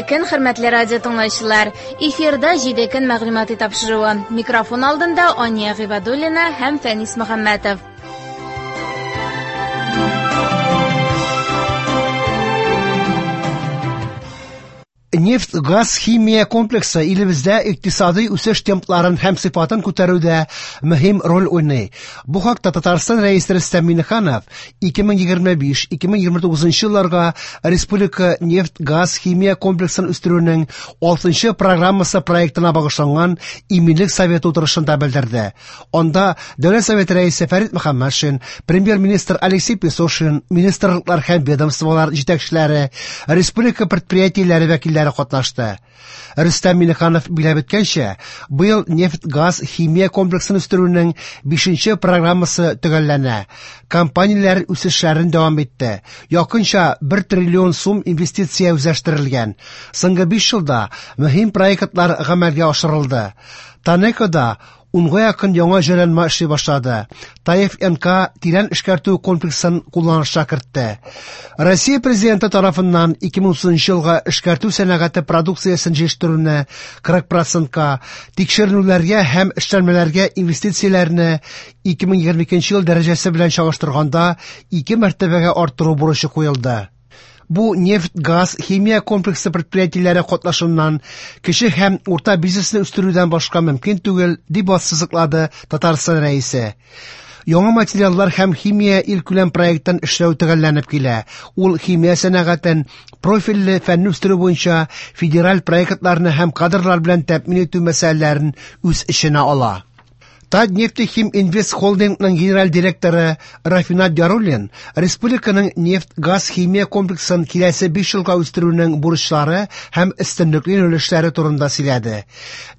Хәерле көн, хөрмәтле радио тыңлаучылар. Эфирда 7 көн мәгълүмати тапшыруы. Микрофон алдында Ания Гыйбадуллина һәм Фәнис Мөхәммәтов. Нефть-газ химия комплексы илебездә икътисадый үсеш темпларын һәм сыйфатын күтәрүдә мөһим роль уйный. Бу хакта Татарстан Рәисе Рөстәм Миңнеханов 2025-2029 елларга республика нефть-газ химия комплексын үстерүнең 6 программасы проектына багышланган Иминлек советы утырышында белдерде. Анда Дәүләт Советы Рәисе Фәрит Мөхәммәтшин, премьер-министр Алексей Песошин, министрлыклар һәм ведомстволар җитәкчеләре, республика предприятиеләре вәкилләре катнашты. Рөстәм Миңнеханов билгеләп үткәнчә, быел нефть-газ химия комплексын үстерүнең 5 программасы төгәлләнә. Компанияләр үсешләрен дәвам итте. Якынча 1 триллион сум инвестиция үзләштерелгән. Соңгы 5 елда мөһим проектлар гамәлгә ашырылды. ТАНЕКОда унга якын яңа җайланма эшли башлады. ТАИФ НК тирән эшкәртү комплексын кулланышка кертте. Россия президенты тарафыннан 2030 елга эшкәртү сәнәгате продукциясен җитештерүне 40%-ка, тикшеренүләргә һәм эшләнмәләргә инвестицияләрне 2022 ел дәрәҗәсе белән чагыштырганда 2 мәртәбәгә арттыру бурычы куелды. Бу нефть-газ химия комплексы предприятиеләре катнашыннан кече һәм урта бизнесны үстерүдән башка мөмкин түгел, дип ассызыклады Татарстан Рәисе. Яңа материаллар һәм химия илкүләм проекттан эшләү төгәлләнеп килә. Ул химия сәнәгатен профильле фәнне үстерү буенча федераль проектларны һәм кадрлар белән тәэмин итү мәсьәләләрен үз эченә ала. Татнефтехим-Инвест холдингның генераль директоры Рафинат Яруллин республиканың нефть-газ химия комплексын киләсе 5 елга үстерүнең бурычлары һәм өстенлекле юнәлешләре турында сөйләде.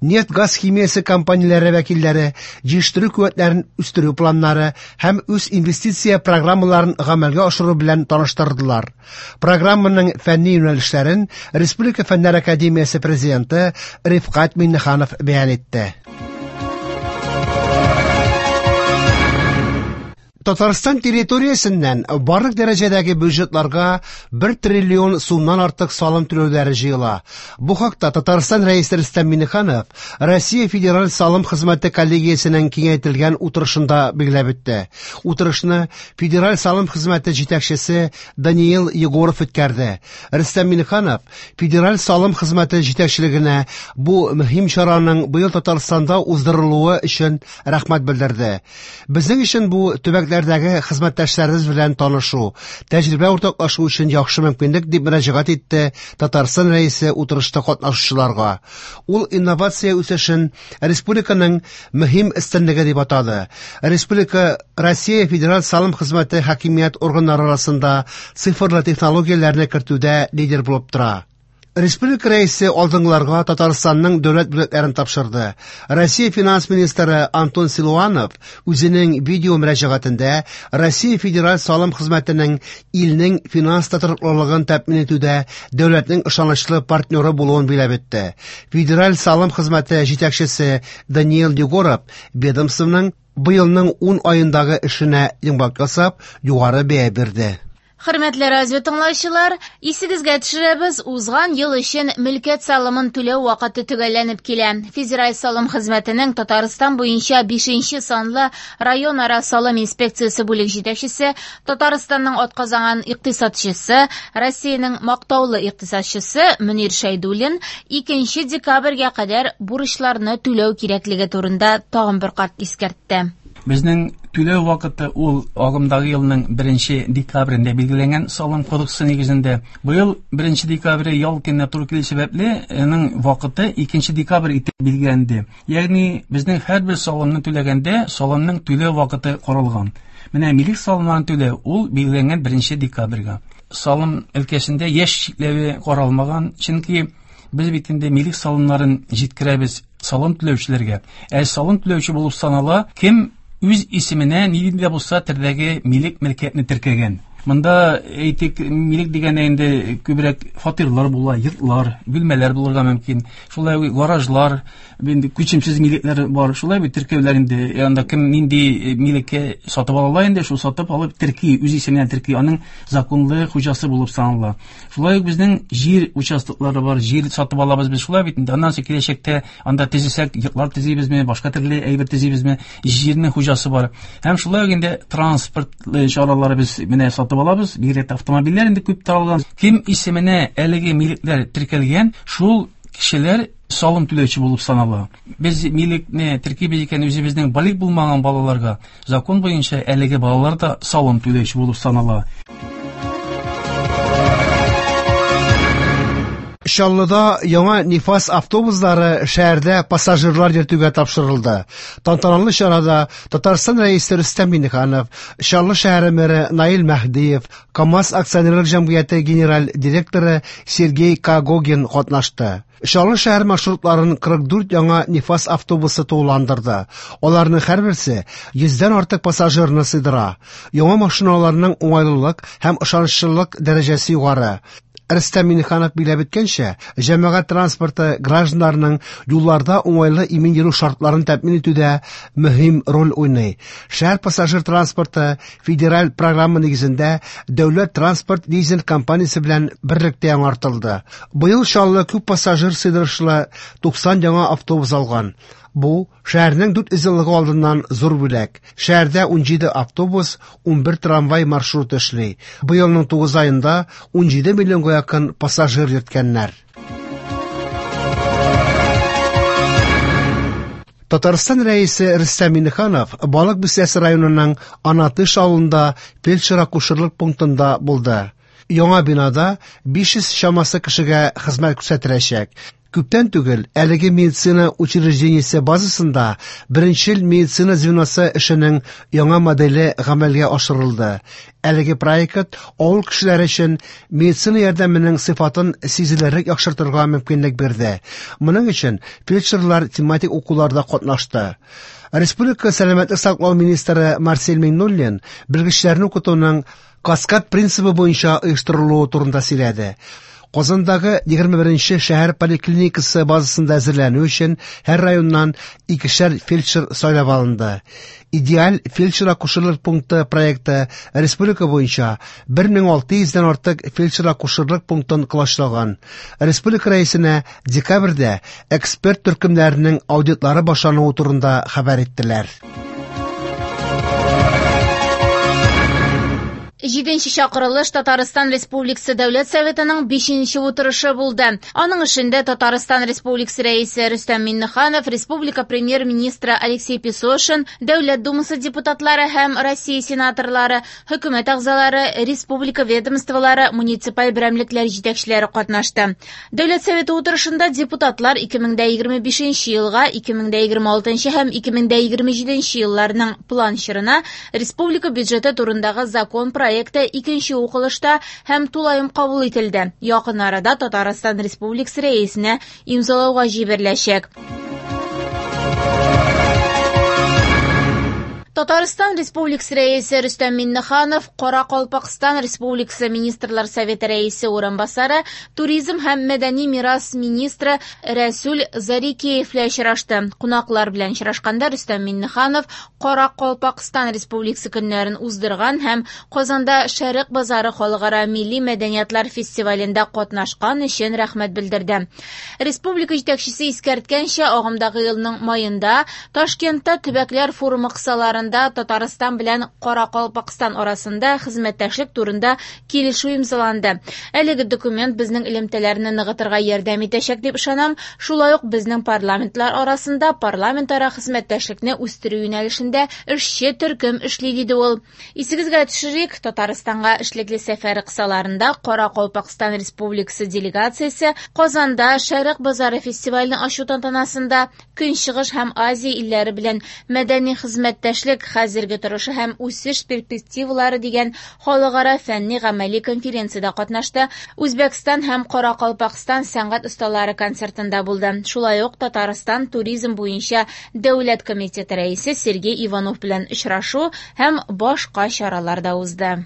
Нефть-газ химиясе компанияләре вәкилләре җитештерү куәтләрен үстерү планнары һәм үз инвестиция программаларын гамәлгә ашыру белән таныштырдылар. Программаның фәнни юнәлешләрен Республика Фәннәр академиясе президенты Рифкать Миңнеханов бәян итте. Татарстан территориясеннән барлык дәрәҗәдәге бюджетларга 1 триллион сумнан артык салым түләүләре җыела. Бу хакта Татарстан Рәисе Рөстәм Миңнеханов Россия Федераль салым хезмәте коллегиясенең киңәйтелгән утырышында билгеләп үтте. Утырышны Федераль салым хезмәте җитәкчесе Даниил Егоров үткәрде. Рөстәм Миңнеханов Федераль салым хезмәте җитәкчелегенә бу мөһим чараның быел Татарстанда уздырылуы өчен рәхмәт белдерде. Безнең өчен бу төбәкләрдәге хезмәттәшләребез белән танышу, тәҗрибә уртаклашу өчен яхшы мөмкинлек, дип мөрәҗәгать итте Татарстан Рәисе утырышта катнашучыларга. Ул инновация үсешен республиканың мөһим өстенлеге дип атады. Республика Россия Федераль салым хезмәте хакимият органнары арасында цифрлы технологияләрне кертүдә лидер булып тора. Республика Рәисе алдынгыларга Татарстанның дәүләт бүләкләрен тапшырды. Россия финанс министры Антон Силуанов үзенең видео мөрәҗәгатендә Россия Федераль салым хезмәтенең илнең финанс тотрыклылыгын тәэмин итүдә дәүләтнең ышанычлы партнеры булуын билгеләп үтте. Федераль салым хезмәте җитәкчесе Даниил Егоров ведомствоның быелның 10 аендагы эшенә йомгак ясап, югары бәя бирде. Хөрмәтле радио тыңлаучылар, исегезгә төшерәбез, узган ел өчен мөлкәт салымын түләү вакыты төгәлләнеп килә. Федераль салым хезмәтенең Татарстан буенча 5 санлы районара салым инспекциясе бүлек җитәкчесе, Татарстанның атказанган икътисадчысы, Россиянең мактаулы икътисадчысы Мөнир Шәйдуллин 2 декабрьгә кадәр бурычларны түләү кирәклеге турында тагын бер кат искәртте. Безнең түләү вакыты ул агымдагы елның 1 декабрендә билгеләнгән салым кодексы нигезендә. Быел 1 декабрь ял көненә туры килү сәбәпле, аның вакыты 2 декабрь итеп билгеләнде. Ягъни безнең һәрбер салымны түләгәндә салымның түләү вакыты каралган. Менә милек салымнарын түләү ул билгеләнгән 1 декабрьгә. Салым өлкәсендә яшь чикләве каралмаган, чөнки без бит инде милек салымнарын җиткерәбез салым түләүчеләргә. Ә салым түләүче булып санала кем үз исеменә нинди дә булса төрдәге милек мөлкәтне теркәгән. Монда әйтик, милек дигәндә инде күбрәк фатирлар була, йортлар, бүлмәләр булырга мөмкин. Шулай ук гаражлар, инде күчемсез милекләр бар. Шулай бит теркәүләр инде, анда кем нинди милеккә сатып ала инде, шул сатып алып терки, үз исеменә терки, аның законлы хуҗасы булып санала. Шулай ук безнең җир участоклары бар, җир сатып алабыз без шулай бит инде. Аннан соң киләчәктә анда төзесәк, йортлар төзибезме, башка төрле әйбер төзибезме, җирнең хуҗасы бар. Һәм шулай ук инде транспорт чаралары без менә сатып алабыз, бигрәк тә автомобильләр инде күп таралган. Кем исеменә әлеге милекләр теркәлгән, шул кешеләр салым түләүче булып санала. Без милекне теркибез икән үзебезнең балигъ булмаган балаларга, закон буенча әлеге балалар да салым түләүче булып санала. Чаллыда яңа Нифас автобуслары шәһәрдә пассажирлар йөртүгә тапшырылды. Тантаналы чарада Татарстан Рәисе Рөстәм Миңнеханов, Чаллы шәһәре мэры Наил Мәһдиев, КАМАЗ акционерлык җәмгыяте генераль директоры Сергей Когогин катнашты. Чаллы шәһәр маршрутларын 44 яңа Нифас автобусы тулыландырды. Аларның һәрберсе 100дән артык пассажирны сыйдыра. Яңа машиналарның уңайлылык һәм ышанычлылык дәрәҗәсе югары. Рөстәм Миңнеханов билгеләп үткәнчә, җәмәгать транспорты гражданнарның юлларда уңайлы имин йөрү шартларын тәэмин итүдә мөһим роль уйный. Шәһәр пассажир транспорты федераль программа нигезендә дәүләт транспорт лизинг компаниясе белән берлектә яңартылды. Быел Чаллы күп пассажир сыйдырышлы 90 яңа автобус алган. Бу шәһәрнең 400 еллыгы алдыннан зур бүләк. Шәһәрдә 17 автобус, 11 трамвай маршруты эшли. Быелның 9 аенда 17 миллионга якын пассажир йөрткәннәр. Татарстан Рәисе Рөстәм Миңнеханов Балык Бистәсе районының Анатыш авылында фельдшер-акушерлык пунктында булды. Яңа бинада 500 чамасы кешегә хезмәт күрсәтеләчәк. Күптән түгел әлеге медицина учреждениесе базасында беренчел медицина звеносы эшенең яңа моделе гамәлгә ашырылды. Әлеге проект авыл кешеләре өчен медицина ярдәменең сыйфатын сизелерлек яхшыртырга мөмкинлек бирде. Моның өчен фельдшерлар тематик укуларда катнашты. Республика сәламәтлек саклау министры Марсель Миңнуллин белгечләрне укытуның каскад принцибы буенча оештырылуы турында сөйләде. Казандагы 21нче шәһәр поликлиникасы базасында әзерләнү өчен һәр районнан икешәр фельдшер сайлап алынды. Идеаль фельдшер-акушерлык пункты проекты республика буенча 1600дән артык фельдшер-акушерлык пунктын колачлаган. Республика рәисенә декабрьдә эксперт төркемнәренең аудитлары башлануы турында хәбәр иттеләр. Җиденче чакырылыш Татарстан Республикасы Дәүләт Советының 5нче утырышы булды. Аның эшендә Татарстан Республикасы Рәисе Рөстәм Миңнеханов, Республика Премьер-министры Алексей Песошин, Дәүләт Думасы депутатлары һәм Россия сенаторлары, хөкүмәт әгъзалары, республика ведомстволары, муниципаль берәмлекләр җитәкчеләре катнашты. Дәүләт Советы утырышында депутатлар 2025 елга, 2026 һәм 2027 елларның план чорына республика бюджеты турындагы закон проекты икенче укылышта һәм тулаем кабул ителде. Якын арада Татарстан Республикасы Рәисенә имзалауга җибәреләчәк. Татарстан Республикасы Рәисе Рөстәм Миңнеханов Каракалпакстан Республикасы Министрлар Советы Рәисе урынбасары, туризм һәм мәдәни мирас министры Рәсүл Зарикеев белән очрашты. Кунаклар белән очрашканда Рөстәм Миңнеханов Каракалпакстан Республикасы көннәрен уздырган һәм Казанда Шәрык базары халыкара милли мәдәниятлар фестивалендә катнашкан өчен рәхмәт белдерде. Республика җитәкчесе искәрткәнчә, агымдагы елның маенда Ташкентта төбәкләр форумы кысаларында Татарстан белән Каракалпакстан арасында хезмәттәшлек турында килешү имзаланды. Әлеге документ безнең элемтәләрне ныгытырга ярдәм итәчәк дип ышанам. Шулай ук безнең парламентлар арасында парламентара хезмәттәшлекне үстерү юнәлешендә эшче төркем эшли, диде ул. Исегезгә төшерик, Татарстанга эшлекле сәфәре кысаларында Каракалпакстан Республикасы делегациясе Казанда Шәрык базары фестивален ачу тантанасында Көнчыгыш һәм Азия илләре белән мәдәни хезмәттәшлек хәзерге торышы һәм үсеш перспективалары дигән халыкара фәнни гамәли конференциядә катнашты. Үзбәкстан һәм Каракалпакстан сәнгать осталары концертында булды. Шулай ук Татарстан туризм буенча дәүләт комитеты рәисе Сергей Иванов белән очрашу һәм башка чаралар да узды.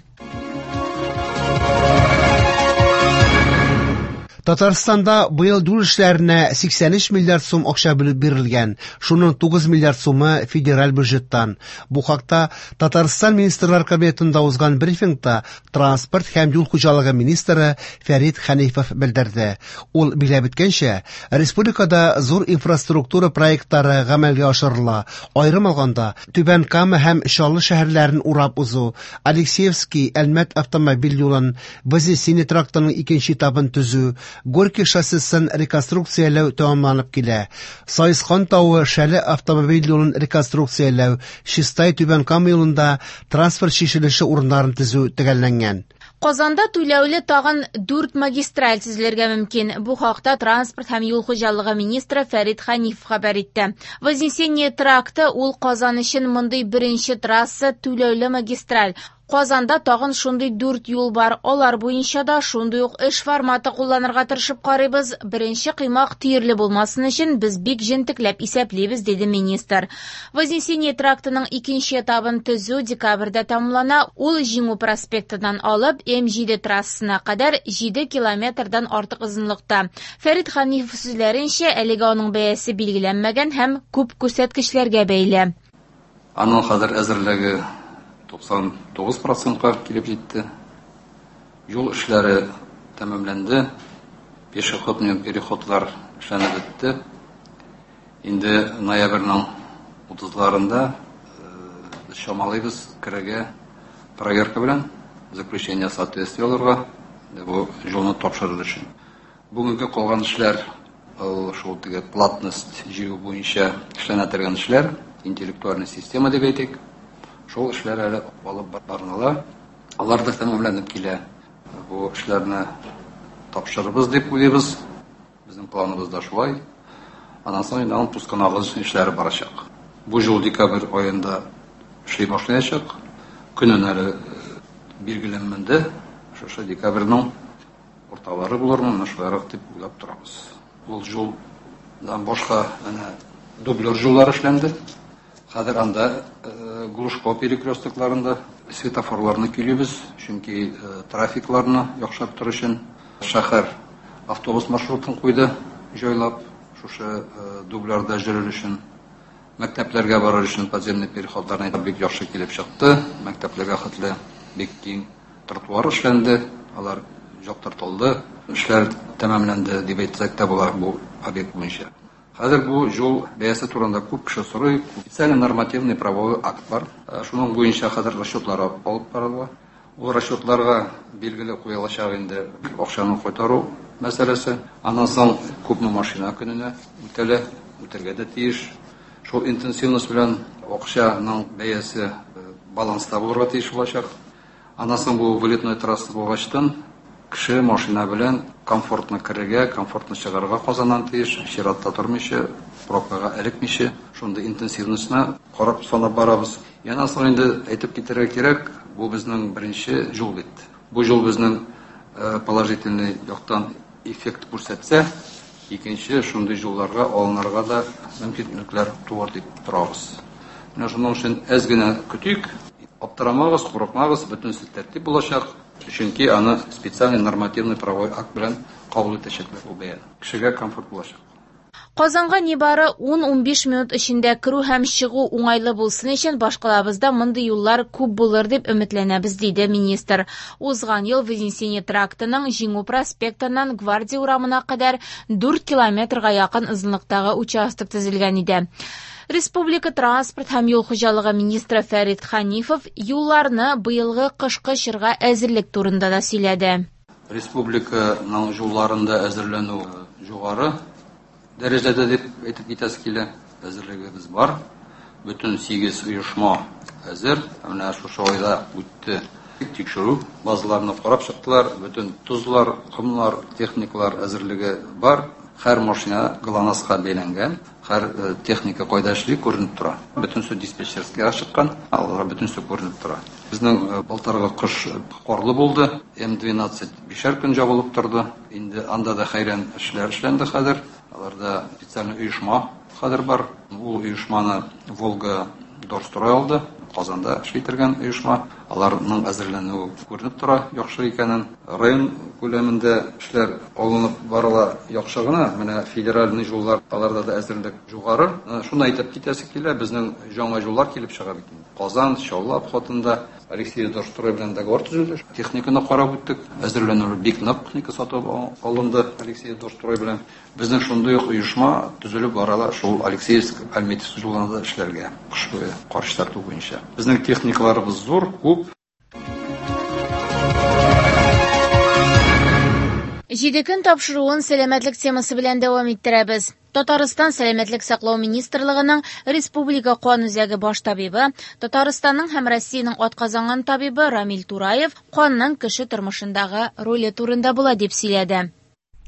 Татарстанда быел юл эшләренә 83 миллиард сум акча бүлеп бирелгән. Шуның 9 миллиард сумы федераль бюджеттан. Бу хакта Татарстан Министрлар Кабинетында узган брифингта транспорт һәм юл хуҗалыгы министры Фәрит Хәнифов белдерде. Ул билгеләп үткәнчә, республикада зур инфраструктура проектлары гамәлгә ашырыла. Аерым алганда, Түбән Кама һәм Чаллы шәһәрләрен урап узу, Алексеевский Әлмәт автомобиль юлын, Вознесение трактының икенче этабын төзү, Горький шоссесын реконструкцияләү тәмамланып килә. Саескан тавы Шәле автомобиль юлын реконструкцияләү, Чистай Түбән Кама юлында транспорт чишелеше урыннарын төзү төгәлләнгән. Казанда түләүле тагын 4 магистраль төзелергә мөмкин. Бу хакта транспорт һәм юл хуҗалыгы министры Фәрит Хәнифов хәбәр итте. Вознесение тракты ул Казан өчен мондый беренче трасса түләүле магистраль. Казанда тагын шундый 4 юл бар. Алар буенча да шундый ук эш форматы кулланырга тырышып карыйбыз. Беренче кыймак төерле булмасын өчен без бик җентекләп исәплибез, диде министр. Вознесение трактының икенче этабын төзү декабрьдә тәмамлана. Ул Җиңү проспектыннан алып М7 трассасына кадәр 7 километрдан артык озынлыкта. Фәрит Хәнифов сүзләренчә, әлегә аның бәясе билгеләнмәгән һәм күп күрсәткечләргә бәйле. Аның хәзер әзерлеге 99%-ка килеп җитте. Юл эшләре тәмамланды. Пешеходный переходлар эшләнеп бетте. Инде ноябрьнең 30-ларында без чамалыйбыз керергә проверка белән заключение соответствия алырга, бу юлны тапшырыр өчен. Бүгенге калган эшләр ул шул теге платность җыю буенча эшләнә торган эшләр, интеллектуальная система дип әйтик. Шул эшләр әле алып барыла. Алар да тәмамланып килә. Бу эшләрне тапшырырбыз дип уйлыйбыз. Безнең планыбызда шулай. Аннан соң инде аның пусконагыз эшләре барачак. Бу ел декабрь аенда эшли башлаячак. Көнен әле билгеләнмәде. Шушы декабрьнең урталары булырмы, менә шулайрак дип уйлап торабыз. Ул юлдан башка әнә дублер юллар эшләнде. Хәзер анда Глушко перекрёстокларында светофорларны көйлибез, чөнки трафикларны яхшыртыр өчен шәһәр автобус маршрутын куйды, җайлап, шушы дублерда йөрер өчен. Мәктәпләргә барыр өчен подземный переходларны бик яхшы килеп чыкты. Мәктәпләргә хәтле бик киң тротуар эшләнде, алар яктыртылды. Эшләр тәмамланды дип әйтсәк тә була бу объект буенча. Хәзер бу юл бәясе турында күп кеше сорый. Специальный нормативный правовой акт бар. Шуның буенча хәзер расчетлар алып барыла. Ул расчетларга билгеле куелачак инде акчаны кайтару мәсьәләсе. Аннан соң күпме машина көненә үтәлә, үтәргә дә тиеш. Шул интенсивность белән акчаның бәясе баланста булырга тиеш булачак. Аннан соң бу вылетной трасса булгачтан кеше машина белән комфортно керергә, комфортно чыгарга Казаннан тиеш, чиратта тормыйча, пробкага эләкмичә, шундый интенсивностьны карап санап барабыз. Яннан соң инде әйтеп китәргә кирәк, бу безнең беренче юл бит. Бу юл безнең положительный яктан эффект күрсәтсә, икенче шундый юлларга алынырга да мөмкинлекләр туар дип торабыз. Менә шуның өчен әз генә көтик, аптырамагыз, курыкмагыз, бөтенесе тәртип булачак. Чөнки аны специальный нормативный правовой акт белән кабул итәчәкләр ул бәяне. Кешегә комфорт булачак. Казанга нибары 10-15 минут эчендә керү һәм чыгу уңайлы булсын өчен башкалабызда мондый юллар күп булыр дип өметләнәбез, диде министр. Узган ел Вознесение трактының Җиңү проспектыннан Гвардия урамына кадәр 4 километрга якын озынлыктагы участок төзелгән иде. Республика транспорт һәм юл хуҗалыгы министры Фәрит Хәнифов юлларны быелгы кышкы чорга әзерлек турында да сөйләде. Республиканың юлларында әзерләнү югары дәрәҗәдә дип әйтеп китәсе килә. Әзерлегебез бар. Бөтен 8 оешма әзер. Менә шушы айда үтте тикшерү базаларны карап чыктылар. Бөтен тозлар, комлар, техникалар әзерлеге бар. Һәр машина ГЛОНАССка бәйләнгән, һәр техника кайда эшли күренеп тора. Бөтенесе диспетчерскийга чыккан, аларга бөтенесе күренеп тора. Безнең былтыргы кыш карлы булды. М12 бишәр көн җабылып торды. Инде анда да хәйран эшләр эшләнде хәзер. Аларда специальный оешма хәзер бар. Ул оешманы Волга Дорстрой алды. Казанда эшли торган оешма. Аларның әзерләнүе күренеп тора, яхшы икәнен. Район күләмендә эшләр алынып барыла яхшы гына. Менә федеральный юллар, аларда да әзерлек югары. Шуны әйтеп китәсе килә, безнең яңа юллар килеп чыга бит инде. Казан, Чаллы обходында Алексеевск Дорстрой белән договор төзелде. Техниканы карап үттек. Әзерләнү бик нык, техника сатып алынды Алексеевск Дорстрой белән. Безнең шундый ук оешма төзелеп барала шул Алексеевск Альметьевск юлында да эшләргә, кыш буе кар чистарту буенча. Безнең техникаларыбыз зур, күп. Җиде көн тапшыруын сәламәтлек темасы белән дәвам иттерәбез. Татарстан Сәламәтлек саклау министрлыгының Республика кан үзәге баш табибы, Татарстанның һәм Россиянең атказанган табибы Рамил Тураев канның кеше тормышындагы роле турында була дип сөйләде.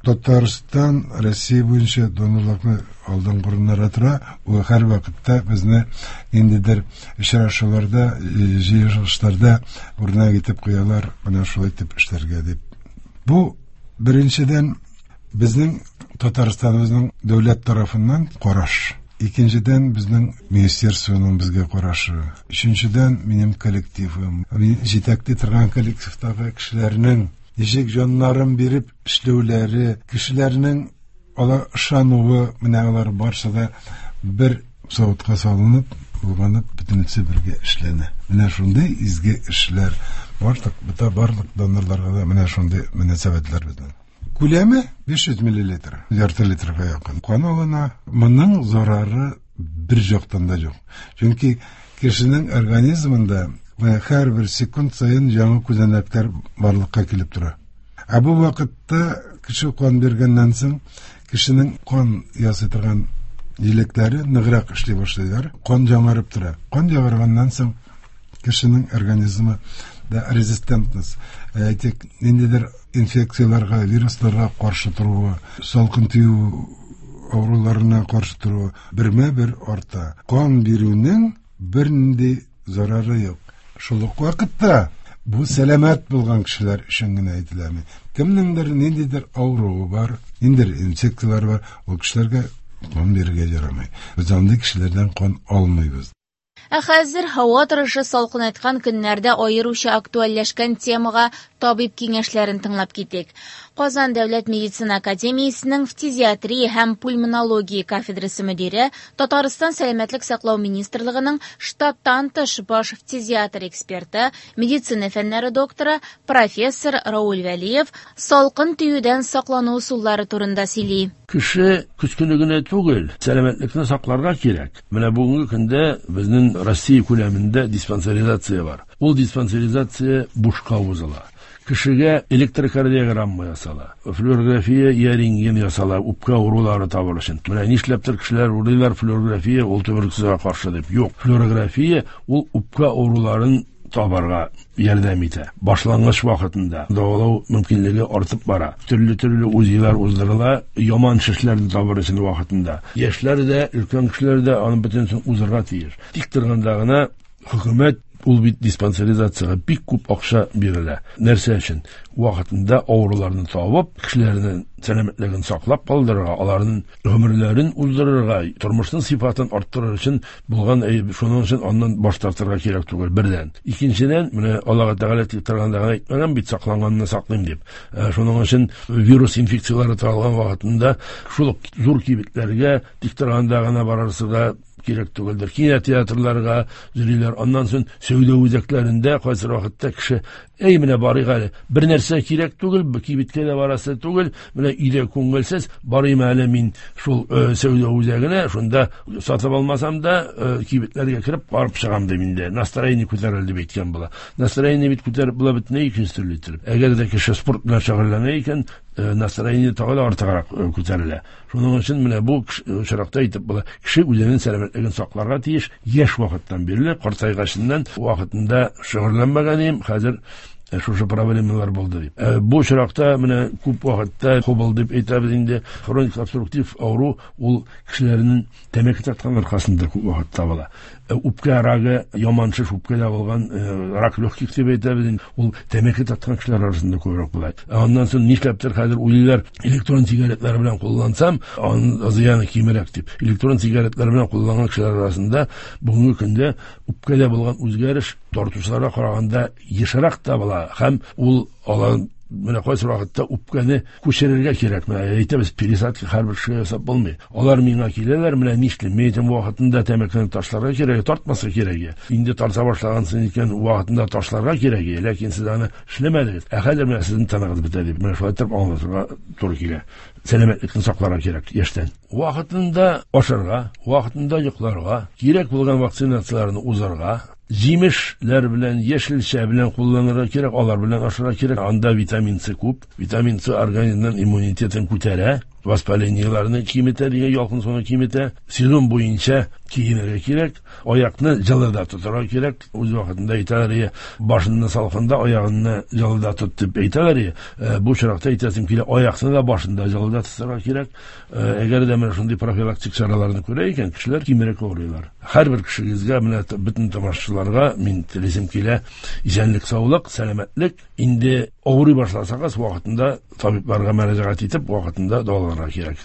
Татарстан Россия буенча донорлыкны алдынгы урыннарда тора. Ул һәр вакытта безне ниндидер очрашуларда, җыелышларда үрнәк итеп куялар, менә шулай итеп эшләргә дип. Бу беренчедән безнең Татарстаныбызның дәүләт тарафыннан караш. Икенчедән, безнең министерствоның безгә карашы. Өченчедән, минем коллективым. Мин җитәкли торган коллективтагы кешеләрнең ничек җаннарын биреп эшләүләре, кешеләрнең алар ышануы, менә алар барсы да бер савытка салынып, булганып, бөтенесе бергә эшләнә. Менә шундый изге эшләр. Барлык, бөтә барлык донорларга да менә шундый мөнәсәбәтләр безнең. Күләме 500 миллилитр, ярты литрга якын. Кан алына. Моның зарары бер жактан да юк. Чөнки кешенең организмында һәрбер секунд саен яңа күзәнәкләр барлыкка килеп тора. Ә бу вакытта кеше кан биргәннән соң кешенең кан ясый торган җилекләре ныграк эшли башлыйлар. Кан яңарып тора. Кан яңарганнан соң кешенең организмы да резистентность, әйтик, ниндидер инфекцияләргә, вирусларга каршы торуы, салкын тию авыруларына каршы торуы бермә-бер арта. Кан бирүнең бернинди зарары юк. Шул ук вакытта бу сәламәт булган кешеләр өчен генә әйтеләме? Кемнеңдер ниндидер авыруы бар, ниндидер инфекцияләр бар, ул кешеләргә кан бирергә ярамый. Без андый кешеләрдән кан алмыйбыз. Ә хәзер һава торышы салкынайткан көннәрдә аеруча актуальләшкән темага табиб киңәшләрен тыңлап китик. Казан дәүләт медицина академиясенең фтизиатрия һәм пульмонология кафедрасы мөдире, Татарстан сәламәтлек саклау министрлыгының штаттан тыш баш фтизиатр эксперты, медицина фәннәре докторы, профессор Рауль Вәлиев салкын тиюдән саклану ысуллары турында сөйли. Кеше көз көне генә түгел, сәламәтлекне сакларга кирәк. Менә бүгенге көндә безнең Россия күләмендә диспансеризация бар. Ул диспансеризация бушка узыла. Кешегә электрокардиограмма ясала, флюорография я рентген ясала, үпкә авырулары табыр өчен. Менә нишләптер кешеләр уйлыйлар, флюорография ул туберкулезга каршы дип. Юк, флюорография ул үпкә авыруларын табарга ярдәм итә. Башлангыч вакытында дәвалау мөмкинлеге артып бара. Төрле-төрле УЗИлар уздырыла, яман шешләрне табыр өчен вакытында. Яшьләр дә, өлкән кешеләр дә аны бөтенесен узырга тиеш. Тик торганда гына хөкүмәт ул бит диспансеризациягә бик күп акча бирелә. Нәрсә өчен? Вакытында авыруларны табып, кешеләрнең сәламәтлеген саклап калдырырга, аларның гомерләрен уздырырга, тормышның сыйфатын арттырыр өчен булган әйбер. Шуның өчен аннан баш тартырга кирәк түгел, бердән. Икенчедән, менә Аллаһ Тәгалә тик торганда гына әйтмәгән бит, сакланганны саклыйм дип. Шуның өчен вирус инфекцияләре таралган вакытында шул ук зур кибетләргә тик торганда гына барырсы да кирәк түгелдер. Кинотеатрларга йөриләр. Аннан соң сәүдә үзәкләрендә кайсы вакытта кеше, әй, менә барыйк әле, бер нәрсә кирәк түгел, кибеткә дә барасы түгел, менә өйдә күңелсез, барыйм әле мин шул сәүдә үзәгенә, шунда сатып алмасам да, кибетләргә кереп барып чыгам дип инде. Настроение күтәрелде дип әйткән була. Настроение бит күтәреп була бөтенләй икенче төрле итеп. Әгәр дә кеше спорт белән шөгыльләнә икән, настроение тагы да артыграк күтәрелә. Шуның өчен менә бу очракта әйтеп була, кеше үзенең сәламәтлеген сакларга тиеш, яшь вакыттан бирле, картайгачыннан вакытында шөгыльләнмәгән идем, хәзер Шушы проблемалар булды дип. Бу очракта менә күп вакытта ХОБЛ дип әйтәбез инде, хроник обструктив авыру ул кешеләрнең тәмәке тарткан аркасында күп вакытта була. Үпкә рагы, яман шеш үпкәдә булган рак легких дип әйтәбез инде, ул тәмәке тарткан кешеләр арасында күбрәк була. Аннан соң нишләптер хәзер уйлыйлар, электрон сигаретлар белән куллансам, аның зыяны кимрәк дип. Электрон сигаретлар белән кулланган кешеләр арасында бүгенге көндә үпкәдә булган үзгәреш тартучыларга караганда ешрак та була һәм ул алар менә кайсы вакытта үпкәне күчерергә кирәк. Менә әйтәбез, пересадка һәрбер кешегә ясап булмый. Алар миңа киләләр, менә нишлим? Мин әйтәм, вакытында тәмәкене ташларга кирәк, тартмаска кирәк. Инде тарта башлагансың икән, вакытында ташларга кирәк, ләкин сез аны эшләмәдегез. Ә хәзер менә сезнең тыныгыз бетә дип, менә шулай итеп аңлатырга туры килә. Сәламәтлекне сакларга кирәк яшьтән. Вакытында ашарга, вакытында йокларга, кирәк булган вакцинацияләрне узарга, җимешләр белән, яшелчә белән кулланырга кирәк, алар белән ашарга кирәк. Анда витамин С күп. Витамин С организмның иммунитетын күтәрә, воспалениеләрне киметә, дигән ялкынсыну киметә. Сезон буенча киенергә кирәк, аякны җылыда тотарга кирәк. Үз вакытында әйтәләр, башыңны салкында, аягыңны җылыда тот дип әйтәләр. Бу очракта әйтәсем килә, аякны да башында җылыда тотарга кирәк. Әгәр дә менә шундый профилактик чараларны күрә икән, кешеләр кимрәк авырыйлар. Һәрбер кешегезгә, менә бөтен тамашачыларга мин телисем килә исәнлек, саулык, сәламәтлек. Инде авырый башласагыз, вакытында табибларга мөрәҗәгать итеп, вакытында дәваланырга кирәк.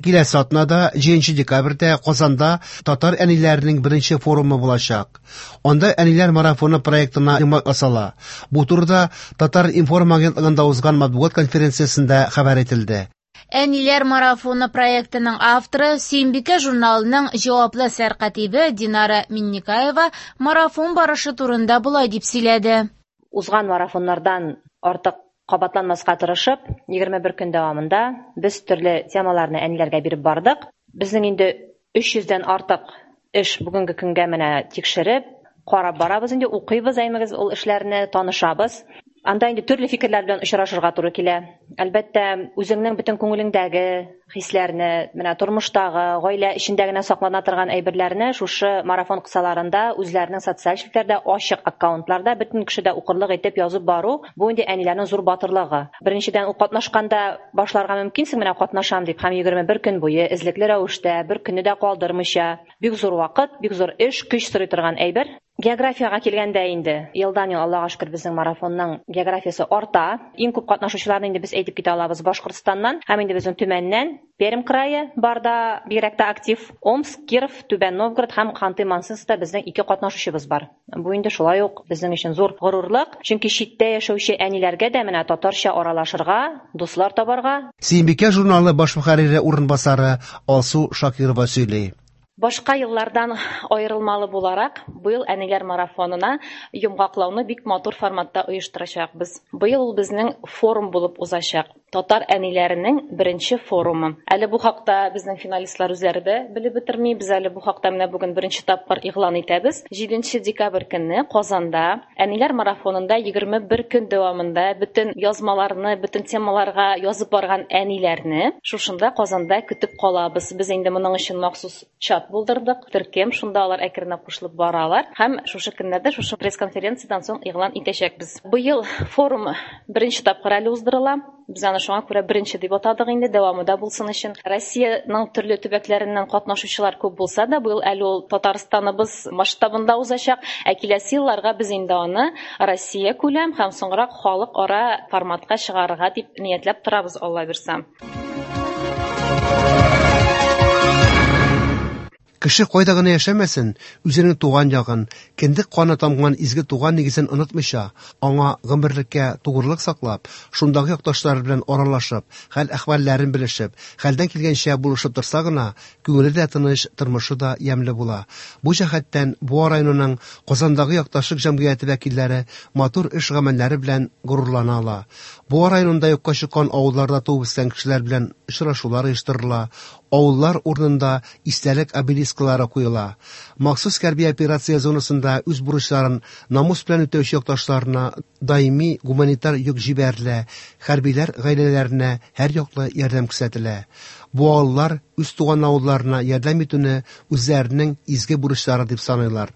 Киләсе атнада, 7 декабрьдә Казанда татар әниләренең беренче форумы булачак. Анда әниләр марафоны проектына йомгак ясала. Бу турыда Татар-информ агентлыгында узган матбугат конференциясендә хәбәр ителде. Әниләр марафоны проектының авторы Сөембикә журналының җаваплы сәркатибе Динара Минникаева марафон барышы турында болай дип сөйләде. Узган марафоннардан артык кабатланмаска тырышып, 21 көн дәвамында без төрле темаларны әниләргә биреп бардык. Безнең инде 300дән артык эш бүгенге көнгә менә тикшереп, карап барабыз инде, укыйбыз әймегез ул эшләрне, танышабыз. Анда инде төрле фикерләр белән очрашырга туры килә. Әлбәттә, үзеңнең бөтен күңелеңдәге хисләрне, менә тормыштагы, гаилә эчендә генә саклана торган әйберләрне шушы марафон кысаларында үзләренең социаль челтәрдә ачык аккаунтларда бөтен кеше дә укырлык итеп язып бару, бу инде әниләрнең зур батырлыгы. Беренчедән, ул катнашканда башларга мөмкинсең, менә катнашам дип, һәм 21 көн буе эзлекле рәвештә, бер көнне дә калдырмыйча, бик зур вакыт, бик зур эш, көч сорый торган әйбер. Географиягә килгәндә инде, елдан ел, Аллага шөкер, безнең марафонның географиясе арта. Иң күп катнашучыларны инде без әйтеп китә алабыз Башкортстаннан һәм инде безнең Төмәннән, Пермь крае барда бигрәк тә актив. Омск, Киров, Түбән Новгород һәм Ханты-Мансийскта безнең ике катнашучыбыз бар. Бу инде шулай ук безнең өчен зур горурлык, чөнки читтә яшәүче әниләргә дә менә татарча аралашырга, дуслар табарга. Сөембикә журналы баш мөхәррире урынбасары Алсу Шакирова сөйли. Башка еллардан аерылмалы буларак, быел әниләр марафонына йомгаклауны бик матур форматта оештырачакбыз. Быел ул безнең форум булып узачак. Татар әниләренең беренче форумы. Әле бу хакта безнең финалистлар үзләре дә белеп бетерми. Без әле бу хакта менә бүген беренче тапкыр игълан итәбез. 7 декабрь көнне Казанда әниләр марафонында 21 көн дәвамында бөтен язмаларны, бөтен темаларга язып барган әниләрне шушында Казанда көтеп калабыз. Без инде моның өчен махсус чат булдырдык, төркем, шунда алар әкренләп кушылып баралар һәм шушы көннәрдә шушы пресс-конференциядән соң игълан итәчәкбез. Быел форум беренче тапкыр әле уздырыла. Без аны шуңа күрә беренче дип атадык инде, дәвамы да булсын өчен. Россиянең төрле төбәкләреннән катнашучылар күп булса да, быел әле ул Татарстаныбыз масштабында узачак. Ә киләсе елларга без инде аны Россия күләм һәм соңрак халыкара форматка чыгарырга дип ниятләп торабыз, Алла бирсә. Кеше кайда гына яшәмәсен, үзенең туган ягын, кендек каны тамган изге туган нигезен онытмыйча, аңа гомерлеккә тугрылык саклап, шундагы якташлары белән аралашып, хәл-әхвәлләрен белешеп, хәлдән килгәнчә булышып торса гына, күңеле дә тыныч, тормышы да ямьле була. Бу җәһәттән Буа районының Казандагы якташлык җәмгыяте вәкилләре матур эш гамәлләре белән горурлана ала. Буа районында юкка чыккан авылларда туып үскән кешеләр белән очрашулар оештырыла, авыллар урынында истәлек обелисклары куела. Махсус хәрби операция зонасында үз бурычларын намус белән үтәүче якташларына даими гуманитар йөк җибәрелә, хәрбиләр гаиләләренә һәр яклы ярдәм күрсәтелә. Буалылар үз туган авылларына ярдәм итүне үзләренең изге бурычлары дип саныйлар.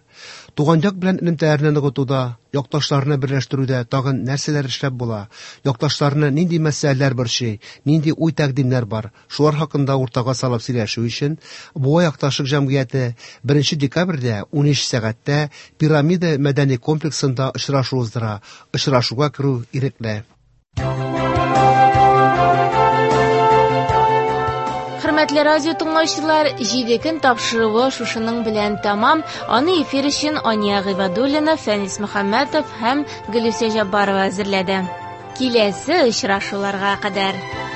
Туган як белән элемтәләрне ныгытуда, якташларны берләштерүдә тагын нәрсәләр эшләп була, якташларны нинди мәсьәләләр борчый, нинди уй-тәкъдимнәр бар, шулар хакында уртага салып сөйләшү өчен Буа якташлык җәмгыяте 1 декабрьдә 13 сәгатьтә Пирамида мәдәни комплексында очрашу уздыра. Очрашуга керү ирекле. Хөрмәтле радио тыңлаучылар, 7 көн тапшыруы шушының белән тәмам. Аны эфир өчен Ания Гыйбадуллина, Фәнис Мөхәммәтов һәм Гөлүсә Җаббарова әзерләде. Киләсе очрашуларга кадәр.